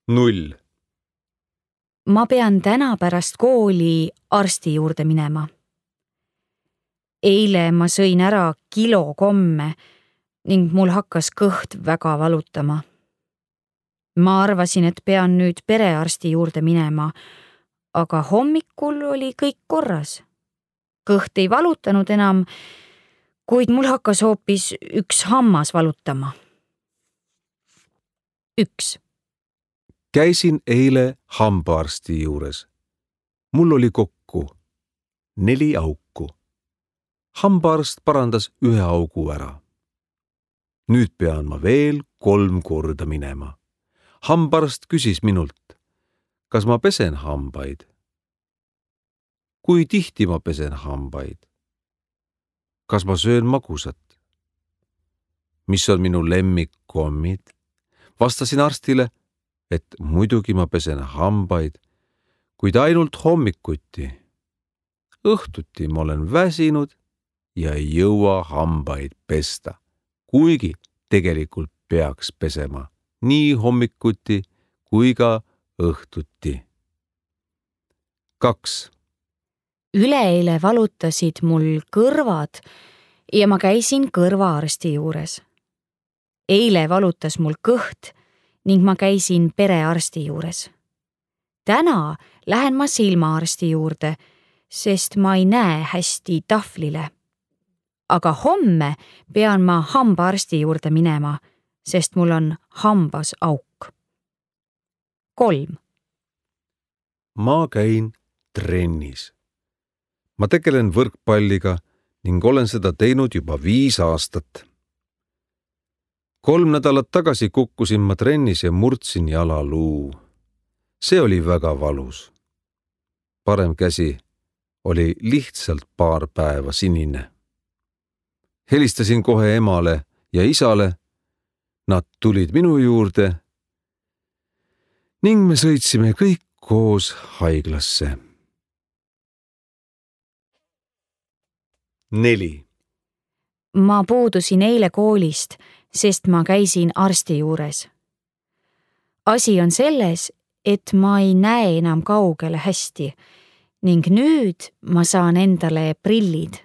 0. Ma pean täna pärast kooli arsti juurde minema. Eile ma sõin ära kilo komme ning mul hakkas kõht väga valutama. Ma arvasin, et pean nüüd perearsti juurde minema, aga hommikul oli kõik korras. Kõht ei valutanud enam, kuid mul hakkas hoopis üks hammas valutama. 1. Käisin eile hambaarsti juures. Mul oli kokku 4 auku. Hambaarst parandas 1 augu ära. Nüüd pean ma veel 3 korda minema. Hambaarst küsis minult, kas ma pesen hambaid. Kui tihti ma pesen hambaid? Kas ma söön magusat? Mis on minu lemmikkommid? Vastasin arstile, et muidugi ma pesen hambaid, kuid ainult hommikuti. Õhtuti ma olen väsinud ja ei jõua hambaid pesta, kuigi tegelikult peaks pesema nii hommikuti kui ka õhtuti. 2. Üleeile valutasid mul kõrvad ja ma käisin kõrvaarsti juures. Eile valutas mul kõht ning ma käisin perearsti juures. Täna lähen ma silmaarsti juurde, sest ma ei näe hästi tahvlile. Aga homme pean ma hambaarsti juurde minema, sest mul on hambas auk. 3. Ma käin trennis. Ma tegelen võrkpalliga ning olen seda teinud juba 5 aastat. 3 nädalat tagasi kukkusin ma trennis ja murdsin jalaluu. See oli väga valus. Parem käsi oli lihtsalt paar päeva sinine. Helistasin kohe emale ja isale. Nad tulid minu juurde ning me sõitsime kõik koos haiglasse. 4. Ma puudusin eile koolist, sest ma käisin arsti juures. Asi on selles, et ma ei näe enam kaugele hästi ning nüüd ma saan endale prillid.